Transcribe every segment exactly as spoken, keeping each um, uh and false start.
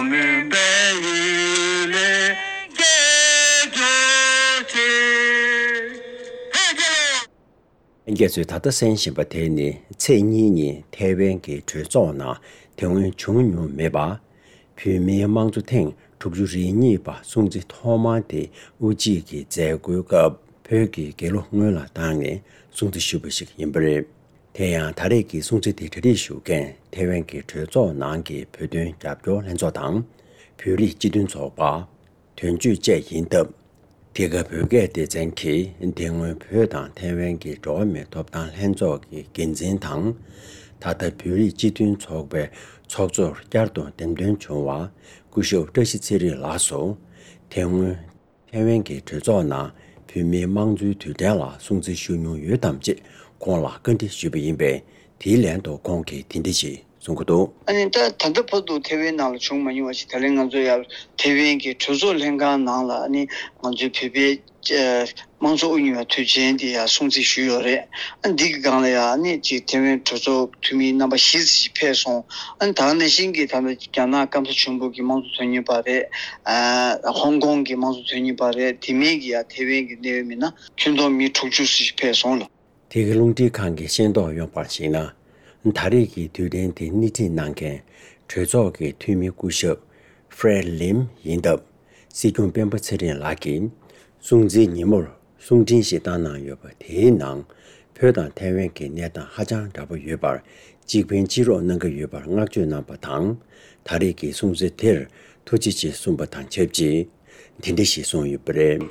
ལྷན་རྒྱས་ཚོས་ད་ལྟ་གསན་བཞིན་པ་དེ་ནི་ཚེས་གཉིས་ཉིན་ཐའེ་ཝན་གྱི་གྲོས་ཚོགས་ནང་དེ་སྔོན་བྱུང་མྱོང་མེད་པ། བོད་མིའི་དམངས་གཙོ་ཐེངས་དྲུག་ཅུ་རེ་གཉིས་པ་སྲུང་བརྩི་ཐོག་མ་དེ་དབུ་འབྱེད་ཀྱི་མཛད་སྒོའི་སྐབས་བོད་ཀྱི་རྒྱལ་གླུ་སྔོན་ལ་བཏང་ནས་སྲུང་བརྩི་ཞུས་པ་ཞིག་ཡིན་པ་རེད། དེ་ཡང་ད་རེས་ཀྱི་སྲུང་བརྩི་དེ་གྲ་སྒྲིག་ཞུ་མཁན་ཐའེ་ཝན་གྱི་གྲོས་ཚོགས་ནང་གི་བོད་དོན་རྒྱབ་སྐྱོར་ལྷན་ཚོགས་དང་། བོད་རིགས་སྤྱི་མཐུན་ཚོགས་པ། དོན་གཅོད་བཅས་ཡིན་སྟབས། འདི་ག་བོད་སྐད་སྡེ་ཚན་གྱིས་དེ་སྔོན་བོད་དང་ཐའེ་ཝན་གྱི་འགྲོ་བ་མིའི་ཐོབ་ཐང་ལྷན་ཚོགས་ཀྱི་འགན་འཛིན་དང་། ད་ལྟ་བོད་རིགས་སྤྱི་མཐུན་ཚོགས་པའི་ཚོགས་གཙོར་བསྐྱར་དུ་འདེམས་ཐོན་བྱུང་བ་སྐུ་ཞབས་བཀྲ་ཤིས་ཚེ་རིང་ལགས་སུ། དེ་སྔོན་ཐའེ་ཝན་གྱི་གྲོས་ཚོགས་ནང་བོད་མིའི་དམངས་གཙོའི་དུས་དྲན་ལ་སྲུང་བརྩི་ཞུ་མྱོང་ཡོད་དམ་ཅེས་ཁོང་ལ་བཀའ་འདྲི་ཞུས་པ་ཡིན་པས། དེའི་ལན་དུ་ཁོང་གིས་དེ་འདྲ་ཞིག་གསུང་གི་འདུག་ཨ་ནི་ད་ད་ལྟ་བར་དུ་ཐའེ་ཝན་ནང་ལ་བྱུང་མ་མྱོང་བ་ཞིག་ད་ལན་ང་ཚོ་ཡར་ཐའེ་ཝན་གྱི་གྲོས་ཚོགས་ལྷན་ཁང་ནང་ལ་ཨ་ནི་ང་ཚོའི་བོད་པའི་ཨ་དམངས་གཙོ་དབུ་བརྙེས་པའི་དུས་ཆེན་དེ་ཡར་སྲུང་བརྩི་ཞུས་ཡོད་རེད། ཨ་འདི་གི་སྒང་ལ་ཡང་ཨ་ནི་ཅིག་ཐའེ་ཝན་གྲོས་ཚོགས་འཐུས་མི་རྣམ་པ་བཞི་ཙམ་ཞིག་ཕེབས་སོང་། ཨ་ནི་ད་ག་ནང་བཞིན་གྱི་ད་ལྟ་རྒྱ་ནག་སྐམ་ས་ཆེན་པོ་གི་དམངས་གཙོ་དོན་གཉེར་པ་རེད། ཨ་ཧོང་ཀོང་གི་དམངས་གཙོ་དོན་གཉེར་པ་རེད། དེ་མིན་གྱི་ཡང་ཐའེ་ཝན་གྱི་གནད་ཡོད་མི་སྣ་ཁྱོན་བསྡོམས་མི་དྲུག་ཅུ་ཙམ་ཞིག་ཕེབས་སོང་ལ། དེ་གི་རླུང་འཕྲིན་ཁང་གིས་ཤེས་རྟོགས་ཡོང་བར་གཞིགས་ན། ད་རེས་ཀྱི་དུས་དྲན་དེ་སྣེ་ཁྲིད་གནང་མཁན་གྲོས་ཚོགས་ཀྱི་འཐུས་མི་སྐུ་ཞབས་ཧྥེ་རེད་ལིམ་ཡིན་སྟབས། སྲིད་སྐྱོང་སྤེན་པ་ཚེ་རིང་ལགས་ཀྱིས་སྲུང་བརྩིའི་ཉིན་མོར་གསུང་འཕྲིན་ཞིག་བཏང་གནང་ཡོད་པ། དེའི་ནང་བོད་དང་ཐའེ་ཝན་གྱི་གནས་སྟངས་ཧ་ཅང་འདྲ་པོ་ཡོད་པར་གཅིག་ཕན་གཅིག་རོགས་གནང་གི་ཡོད་པར་བསྔགས་བརྗོད་གནང་པ་དང་། ད་རེས་ཀྱི་སྲུང་བརྩི་དེར་ཐུགས་རྗེ་ཆེ་གསུངས་པ་དང་ཆབས་ཅིག་འདི་འདྲ་ཞིག་གསུངས་ཡོད་པ་རེད།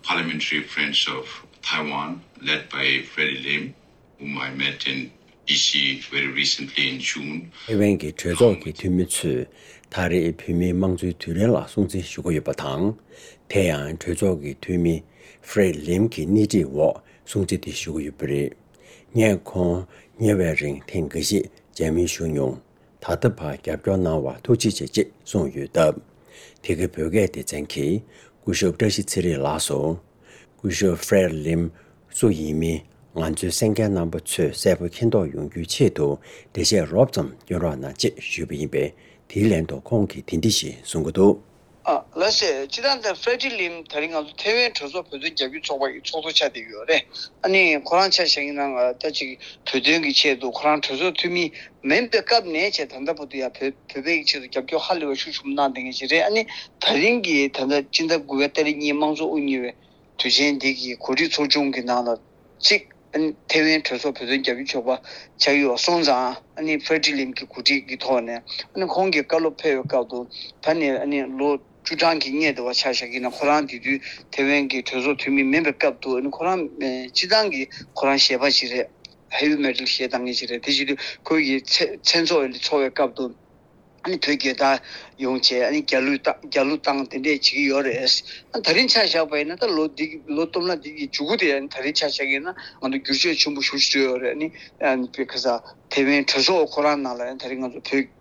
Parliamentary Friends of Taiwan, led by Freddie Lim, whom I met in D C very recently in June. ཐའེ་ཝན་གྱི་གྲོས་ཚོགས་ཀྱི་འཐུས་མི་ཚོས་ད་རེས་བོད་མིའི་དམངས་གཙོའི་དུས་དྲན་ལ་སྲུང་བརྩི་ཞུ་གི་ཡོད་པ་དང་། དེ་ཡང་གྲོས་ཚོགས་ཀྱི་འཐུས་མི་ཧྥེ་རེད་ལིམ་གྱི་སྣེ་ཁྲིད་འོག་སྲུང་བརྩི་དེ་ཞུ་གི་ཡོད་པ་རེད། ངས་ཁོང་ཉེ་བའི་རིང་ཐེངས་འགའ་ཞིག་མཇལ་མོལ་ཞུས་མྱོང་། ད་ལྟ་བར་རྒྱབ་སྐྱོར་གནང་བར་ཐུགས་རྗེ་ཆེ་ཅེས་གསུངས་ཡོད་སྟབས། དེ་གའི་བོད་སྐད་སྡེ་ཚན་གྱིས་སྐུ་ཞབས་བཀྲ་ཤིས་ཚེ་རིང་ལགས་སུ། སྐུ་ཞབས་ཧྥེ་རེད་ལིམ་སུ་ཡིན་མིན་ང་ཚོའི་གསན་མཁན་རྣམ་པ་ཚོས་གསལ་པོ་མཁྱེན་རྟོགས་ཡོང་རྒྱུའི་ཆེད་དུ་འགྲེལ་བཤད་རོབ་ཙམ་སྐྱོན་རོགས་གནང་ཅེས་ཞུས་པ་ཡིན་པས། དེའི་ལན་དུ་ཁོང་གིས་དེ་འདྲ་ཞིག་གསུང་གི་འདུག་ཨ་ལགས་སེ། སྤྱིར་བཏང་ད་ཧྥེ་རེ་ཌི་ལིམ་ད་རིང་ང་ཚོ་ཐའེ་ཝན་གྲོས་ཚོགས་བོད་དོན་རྒྱབ་སྐྱོར་ཚོགས་པ་ཡི་ཚོགས་གཙོ་ཆགས་བསྡད་ཡོད་རེད། ཨ་ནི་ཁོ་རང་ཆ་བཞག་ཡིན་ན་ང་ད་ཅིག་བོད་དོན་གྱི་ཆེད་དུ་ཁོ་རང་གྲོས་ཚོགས་འཐུས་མི་མིན་པའི་སྐབས་ནས་བྱས་ད་ལྟ་བར་དུ་ཡང་བོད་བོད་པའི་ཆེད་དུ་རྒྱབ་སྐྱོར་ཧ་ལས་པ་ཤུགས་ཆེན་པོ་གནང་བསྡད་མཁན་ཞིག་རེད། ཨ་ནི་ད་རིང་གི་ད་ལྟ་སྤྱི་ཟླ་དགུ་པའི་ཏ་རིག་གཉིས་དམངས་གཙོ་དབུ་བརྙེས་པའི་དུས་ཆེན་འདི་གི་གོ་སྒྲིག་ཚོགས་ཆུང་གི་ནང་ལ་གཅིག་ཨ་ནི་ཐའེ་ཝན་གྲོས་ཚོགས་བོད་དོན་རྒྱབ་སྐྱོར་ཚོགས་པ་ཆགས་ཡོད་སོང་ཙང་། ཨ་ནི་ཧྥེ་རེ་ཌི་ལིམ་གྱི་གོ་སྒྲིག་གི་ཐོག་ནས་ཨ་ནི་ཁོང་གིས་བཀའ་སློབ་ཕེབས་པའི་སྐབས་དུ་ད་ནི་ཨ་ནི་ལོ་བཅུ་གྲངས་ཀྱི་སྔོན་དུ་བ་ཆ་བཞག་གི་ན་ཁོ་རང་དེ་དུས་ཐའེ་ཝན་གྱི་གྲོས་ཚོགས་འཐུས་མི་མིན་པའི་སྐབས་དུ་ཨ་ནི་ཁོ་རང་སྤྱི་བཏང་གི་ཁོ་རང་གཞས་པ་ཞིག་རེད། ཧེ་ཝི་མེ་ཊལ་གཞས་བཏང་མཁན་ཞིག་རེད། དེ་བྱེད་དུས་ཁོ་ཡི་མཚན་མཚན་ཚོགས་འཚོགས་པའི་སྐབས་དུ། ཨ་ནི་བོད་རྒྱལ་དར་ཡོང་བྱས་ཨ་ནི་རྒྱལ་གླུ་བཏང་རྒྱལ་གླུ་བཏང་དེ་འདྲས་བྱེད་ཀྱི་ཡོད་རེད། ཨ་ད་རིང་ཆ་བཞག་པ་ཡིན་ན་ད་ལོ་འདི་ལོ་སྟོབས་ན་འདི་གི་མཇུག་གུ་དེ་ཨ་ནི་ད་རིང་ཆ་བཞག་ཡིན་ན་ང་ཚོ་བསྒྱུར་བཅོས་ཆེན་པོ་ཞེ་པོ་ཅིག་བྱས་ཡོད་རེད། ཨ་ནི་ཨ་ནི་བོད་ཁ་ས་ཐའེ་ཝན་གྲོས་ཚོགས་ཁོ་རང་ནང་ལ་ཨ་ནི་ད་རིང་ང་ཚོ་བོད་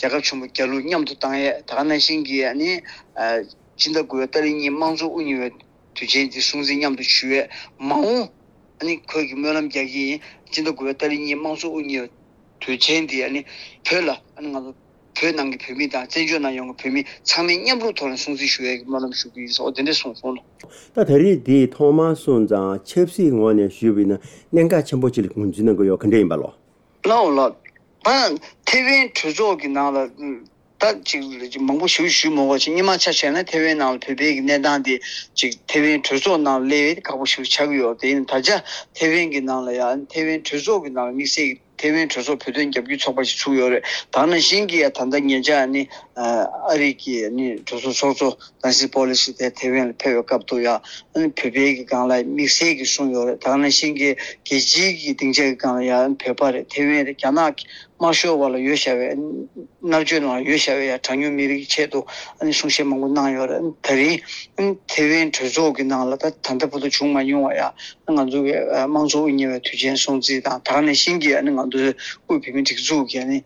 རྒྱལ་ཁབ་ཆེན་པོ་རྒྱལ་གླུ་མཉམ་དུ་བཏང་ཡས། ད་ག་ནང་བཞིན་གྱི་ཨ་ནི་ཨ་སྤྱི་ཟླ་དགུ་པའི་ཏ་རིག་གཉིས་དམངས་གཙོ་དབུ་བརྙེས་པའི་དུས་ཆེན་འདི་སྲུང་བརྩི་མཉམ་དུ་ཞུ་ཡས། མ་འོངས་ཨ་ནི་ཁོས་ཀྱི་སྨོན་ལམ་རྒྱག་གི་ཡིན། སྤྱི་ཟླ་དགུ་པའི་ཏ་རིག་གཉིས་དམངས་གཙོ་དབུ་བརྙེས་པའི་དུས་ཆེན་འདི་ཨ་ནི་བོད་ལ་ཨ་ནི་ང་ཚོ་བོད་ནང་གི་བོད་མི་དང་བཙན་བྱོལ་ནང་ཡོང་གི་བོད་མི་ཚང་མས་མཉམ་རུབ་ཐོག་ནས་སྲུང་བརྩི་ཞུ་ཡས་ཀྱི་སྨོན་ལམ་ཞུ་གི་ཡིན་ཟེར་འོ་དེ་འདྲས་གསུངས་སོང་ལོ། ད་ད་རེས་འདི་ཐོག་མར་སོང་ཙང་ཆབ་སྲིད་ངོས་ནས་ཞུས་པ་ཡིན་ན་གནད་འགག་ཆེན་པོ་ཅིག་ལ་ངོས་འཛིན་གནང་གི་ཡོད་ག་འདྲ་ཡིན་པ་ལོ། ལའོ་ལགས། ད་ཐའེ་ཝན་གྲོས་ཚོགས་ཀྱི་ནང་ལ་ད་ཅིག་མང་པོ་ཞིག་ཞུས་མ་དགོས་ཅིག་སྔོན་མ་ཆ་བཞག་ན་ཐའེ་ཝན་ནང་ལ་བོད་པའི་གི་གནས་སྟངས་དེ་ཅིག་ཐའེ་ཝན་གྲོས་ཚོགས་ནང་སླེབས་ཡས་ཁག་པོ་ཞིག་ཆགས་ཀྱི་ཡོད། དེ་ཡིན་ད་ཆ་ཐའེ་ཝན་གྱི་ནང་ལ་ཡང་ཐའེ་ཝན་གྲོས་ཚོགས་ཀྱི་ནང་ལ་དམིགས་བསལ་གྱི་ཐའེ་ཝན་གྲོས་ཚོགས་བོད་དོན་རྒྱབ་སྐྱོར་ཚོགས་པ་ཞིག་ཚུགས་ཡོད་རེད། ད་ནང་བཞིན་གྱི་ཡང་ད་ལྟ་ཉེ་ཆར་ནི་ཨ་རི་གི་ནི་གྲོས་ཚོགས་ཚོགས་གཙོ་ནན་སི་པོ་ལི་སི་དེ་ཐའེ་ཝན་ལ་ཕེབས་པའི་སྐབས་དུ་ཡང་ཨ་ནི་བོད་པའི་གི་སྒང་ལ་དམིགས་བསལ་གྱི་གསུངས་ཡོད་རེད། ད་ནང་བཞིན་གྱི་རྒྱལ་སྤྱིའི་གི་སྡིངས་ཆ་གི་སྒང་ལ་ཡང་བོད་པ་རེད། ཐའེ་ཝན་རེད། རྒྱ་ནག་གི་དམར་ཤོག་བར་ལ་ཡོད་བཞག་པའི་མནར་གཅོད་ནང་ལ་ཡོད་བཞག་པའི་ཡང་གྲངས་ཉུང་མི་རིགས་ཀྱི་ཆེད་དུ་ཨ་ནི་གསུང་བཤད་མང་པོ་གནང་ཡོད་རེད། ད་རིང་ཨ་ནི་ཐའེ་ཝན་གྲོས་ཚོགས་ཀྱི་ནང་ལ་ད་ད་ལྟ་བར་དུ་བྱུང་མ་མྱོང་བ་ཡང་ང་ཚོ་གི་དམངས་གཙོ་དབུ་བརྙེས་པའི་དུས་ཆེན་སྲུང་བརྩི་དང་ད་ག་ནང་བཞིན་གྱི་ཨ་ནི་ང་ཚོའི་དབུས་བོད་མིའི་སྒྲིག་འཛུགས་ཀྱི་ཨ་ནི་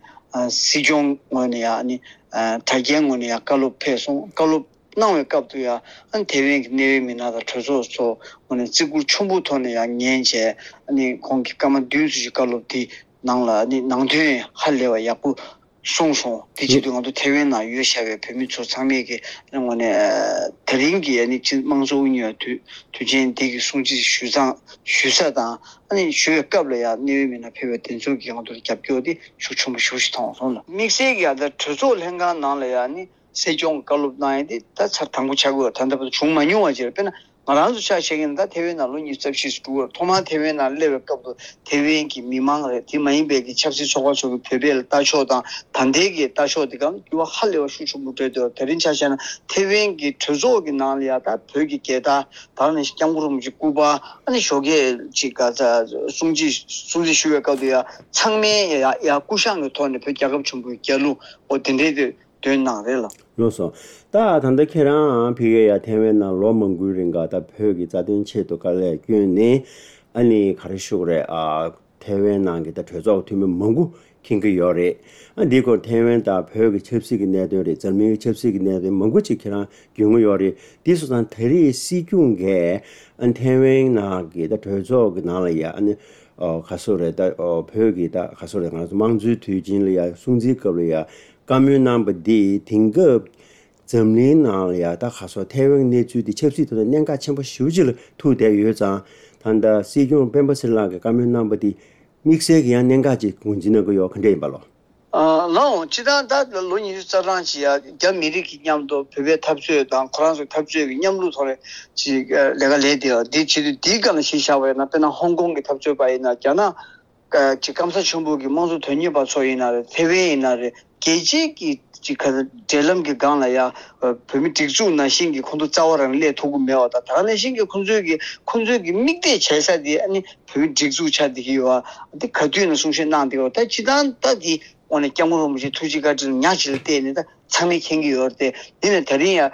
སྲིད་སྐྱོང་ངོས་ནས་ཡང་ཨ་ནི་དྲ་རྒྱའི་ངོས་ནས་ཡང་བཀའ་སློབ་ཕེབས་སོང་། བཀའ་སློབ་གནང་བའི་སྐབས་དུ་ཡང་ཨ་ནི་ཐའེ་ཝན་གྱི་གནད་ཡོད་མི་སྣ་དང་གྲོས་ཚོགས་ཚོ་ངོས་ནས་བརྩི་བཀུར་ཆེན་པོའི་ཐོག་ནས་ཡང་ཉན་བྱས་ཨ་ནི་ཁོང་གིས་སྐར་མ་བདུན་ཙམ་ཞིག་བཀའ་སློབ་དེ་ནང་ལ་ཨ་ནི་ནང་དོན་ཧ་ལས་པ་ཡག་པོ་ གསུངས་སོང་། དེ་བྱེད་དུས་ང་ཚོ་ཐེ་ཝན་ནང་ཡོད་བཞག་པའི་བོད་མི་ཚོ་ཚང་མས་ཀྱི་ངོས་ནས་ཨ་དེ་རིང་གི་ཨ་ནི་སྤྱི་དམངས་གཙོ་དབུ་བརྙེས་པ་དུས་དུས་ཆེན་འདི་གི་སྲུང་བརྩི་ཞུ་སྟངས་ཞུ་ས་དང་ཨ་ནི་ཞུ་བའི་སྐབས་ལ་ཡང་གནད་ཡོད་མི་སྣ་ཕེབས་པའི་དེ་ཚོ་གིས་ང་ཚོར་རྒྱབ་སྐྱོར་དེ་ཤུགས་ཆེན་པོ་ཞེ་པོ་ཞིག་མཐོང་སོང་ལ། དམིགས་བསལ་གྱི་ཡང་ད་གྲོས་ཚོགས་ལྷན་ཁང་ནང་ལ་ཡང་ནི་སྲིད་སྐྱོང་བཀའ་སློབ་གནང་ཡས་དེ་ད་ཚར་དང་པོ་ཆགས་ཀྱི་ཡོད། ད་ལྟ་བར་དུ་བྱུང་མ་མྱོང་བ་ཅིག་རེད། དཔེར་ན། ང་རང་ཚོ་ཆ་བཞག་གིན་ད་ཐེ་ཝན་ནང་ལོ་ཉི་ཤུ་རྩ་བཞི་ཙམ་འགྲོ་གི་ཡོད་རེད། ཐོག་མར་ཐེ་ཝན་ནང་སླེབས་པའི་སྐབས་དུ་ཐེ་ཝན་གྱི་མི་མང་རེད། དེ་མ་ཡིན་པའི་གི་ཆབ་སྲིད་ཚོགས་པ་ཚོ་གི་བོད་པའི་ལ་ལྟ་ཕྱོགས་དང་ད་ལྟའི་གི་ལྟ་ཕྱོགས་དེ་གའང་འགྱུར་བ་ཧ་ལས་པ་ཤུགས་ཆེན་པོ་འགྲོ་གི་འདུག་དེ་རིང་ཆ་བཞག་ན་ཐེ་ཝན་གྱི་གྲོས་ཚོགས་ཀྱི་ནང་ལ་ཡ་ད་བོད་ཀྱི་རྒྱལ་དར་དང་ནི་སྐྱབས་མགོན་རིན་པོ་ཆེ་སྐུ་པར་ཨ་ནི་ཞོགས་ཀས་ཅིག་ག་ཚ་སྲུང་བརྩི་སྲུང་བརྩི་ཞུ་བའི་སྐབས་དུ་ཡ་ཚང་མས་ཡ་ཡ་སྐུ་བཞེངས་ཀྱི་ཐོག་ནས་བོད་རྒྱལ་ཁབ་ཆེན་པོའི་རྒྱལ་གླུ་འོ་དེ་འདྲའི་དེ། འདོན་གནང་རེད་ལ། ལགས་སོ། ད་ད་ལྟ་ཁྱེད་རང་ཕ་གིར་ཡ་ཐེ་ཝན་ནང་ལོ་མང་པོའི་རིང་ག་ད་བོད་ཀྱི་རྩ་དོན་ཆེད་དུ་དཀའ་ལས་བསྐྱོན་ནས་ཨ་ནི་ག་རེ་ཞུ་དགོས་རེད། ཨ་ཐེ་ཝན་ནང་གི་ད་གྲོས་ཚོགས་འཐུས་མི་མང་པོ་མཁྱེན་གྱི་ཡོད་རེད། ཨ་འདི་སྐོར་ཐེ་ཝན་དང་བོད་ཀྱི་ཆབ་སྲིད་ཀྱི་གནད་དོན་རེད། འཛམ་གླིང་གི་ཆབ་སྲིད་ཀྱི་གནད་དོན་མང་པོ་ཅིག་ཁྱེད་རང་མགྱོན་གྱི་ཡོད་རེད། དེ་སོང་ཙང་ད་རེས་སྲིད་སྐྱོང་གིས་ཨ་ཐེ་ཝན་ནང་གི་ད་གྲོས་ཚོགས་ཀྱི་ནང་ལ་ཡ་ཨ་ནི་ཨོ་ག་སོ་རེད། ད་ཨོ་བོད་ཀྱི་ད་ག་སོ་རེད། ང་ཚོ་དམངས་གཙོའི་དུས་ཆེན་ལ་ཡ་སྲུང་བརྩིའི་སྐབས་ལ་ཡ་བཀའ་མོལ་གནང་པ་འདི་དེང་སྐབས་འཛམ་གླིང་ནང་ལ་ཡ་ད་ག་སོ་ཐའེ་ཝན་གནས་ཚུལ་འདི་ཆབ་སྲིད་ཐོག་ནས་གནད་འགག་ཆེན་པོ་ཞེ་པོ་ཅིག་ལ་ཐུག་བསྡད་ཡོད་ཙང་། ད་ལྟ་སྲིད་སྐྱོང་སྤེན་པ་ཚེ་རིང་ལགས་ཀྱིས་བཀའ་མོལ་གནང་པ་འདི་དམིགས་བསལ་གྱི་ཡང་གནད་འགག་ཅིག་ངོས་འཛིན་གནང་གི་ཡོད། ག་འདྲ་ཡིན་པ་ལོ། ཨ་ལགས་འོང་། སྤྱིར་བཏང་ད་ལོ་ཉི་ཤུ་རྩ་གྲངས་ཅིག་ཡ་རྒྱ་མི་རིགས་ཀྱི་མཉམ་དུ་བོད་པའི་འཐབ་རྩོད་དང་ཁོ་རང་ཚོའི་འཐབ་རྩོད་ཀྱི་མཉམ་ལུགས་ཐོག་ནས་ཅིག་ལས་ཀ་ལས་བསྡད་ཡོད། འདི་བྱེད་དུས་འདིའི་སྒང་ལ་གཞི་བཞག་པ་ཡིན་ན། དཔེར་ན་ཧོང་ཀོང་གི་འཐབ་རྩོད་པ་ཡིན་ན། རྒྱ་ནག་ཅིག་སྐམ་ས་ཆེན་པོ་གི་དམངས་གཙོ་དོན་གཉེར་བ་ཚོ་ཡིན་ན་རེད། ཐེ་ཝན་ཡིན་ན་རེད། རྒྱལ་སྤྱིའི་གི་ཅིག་ག་འབྲེལ་ལམ་གྱི་སྒང་ལ་ཡ་བོད་མི་སྒྲིག་འཛུགས་ནང་བཞིན་གྱི་ཁོང་ཚོ་རྩ་བ་རང་སླེབས་ཐུབ་ཀྱི་མེད་པ་དང་། ད་ག་ནང་བཞིན་གྱི་ཁོང་ཚོའི་གི་ཁོང་ཚོའི་གི་དམིགས་གཏད་བྱེད་ས་དེ་ཨ་ནི་བོད་མི་སྒྲིག་འཛུགས་ཆགས་བསྡད་ཀྱི་ཡོད་པ་དེ་ག་དུས་ནས་གསུང་བཤད་གནང་བསྡད་ཡོད། ད་སྤྱིར་བཏང་ད་དེ་དངོས་གནས་སྐྱབས་མགོན་རིན་པོ་ཆེ་ཐུགས་རྗེ་བཀའ་དྲིན་ཉག་གཅིག་ལ་བརྟེན་ནས་ད་ཚང་མས་མཁྱེན་གྱི་ཡོད་རེད་དེ། འདི་ནས་ད་རིང་ཡང་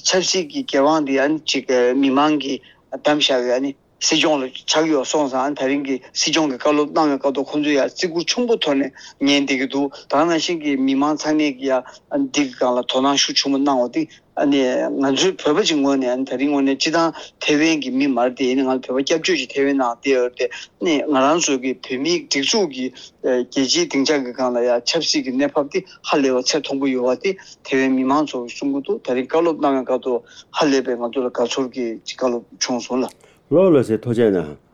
ཆབ་སྲིད་ཀྱི་འགན་དབང་འདི་ཨ་ནི་ཅིག་མི་མང་གིས་བདམས་བཞག་པའི་ཨ་ནི་སྲིད་སྐྱོང་ལ་ཆགས་ཡོད་སོང་ཙང་། ཨ་ནི་ད་རིང་གི་སྲིད་སྐྱོང་གི་བཀའ་སློབ་གནང་བའི་སྐབས་དུ་ཁོང་ཚོས་ཡང་བརྩི་བཀུར་ཆེན་པོ་ཐོག་ནས་ཉན་བསྡད་ཀྱི་འདུག་ད་ག་ནང་བཞིན་གྱི་མི་མང་ཚང་མས་ཀྱི་ཡང་ཨ་ནི་འདི་གི་སྒང་ལ་དོ་སྣང་ཤུགས་ཆེན་པོ་གནང་བ་འདི་ཨ་ནི་ང་ཚོའི་བོད་པ་ཅིག་ངོས་ནས། ཨ་ནི་ད་རིང་ངོས་ནས་སྤྱིར་བཏང་ཐེ་ཝན་གྱི་མི་མ་རེད་དེ། ཡིན་ནའི་ང་ཚོ་བོད་པ་སྐྱབས་བཅོལ་ཅིག་ཐེ་ཝན་ནང་བསྡད་ཡོད་རེད་དེ། ཨ་ནི་ང་རང་ཚོ་གི་བོད་མིའི་སྒྲིག་འཛུགས་ཀྱི་རྒྱལ་སྤྱིའི་སྡིངས་ཆ་གི་སྒང་ལ་ཡང་ཆབ་སྲིད་ཀྱི་གནས་བབ་དེ་ཧ་ལས་པ་ཚད་མཐོན་པོ་ཡོད་པ་དེ་ཐེ་ཝན་མི་མང་ཚོ་གིས་གསུང་གི་འདུག་ད་རིང་བཀའ་སློབ་གནང་བའི་སྐབས་དུ་ཧ་ལས་པའི་ང་ཚོ་ལ་དགའ་ཚོར་གྱི་བཀའ་སློབ་བྱུང་སོང་ལ། ལགས་ལགས་སེ། ཐུགས་རྗེ་གནང་།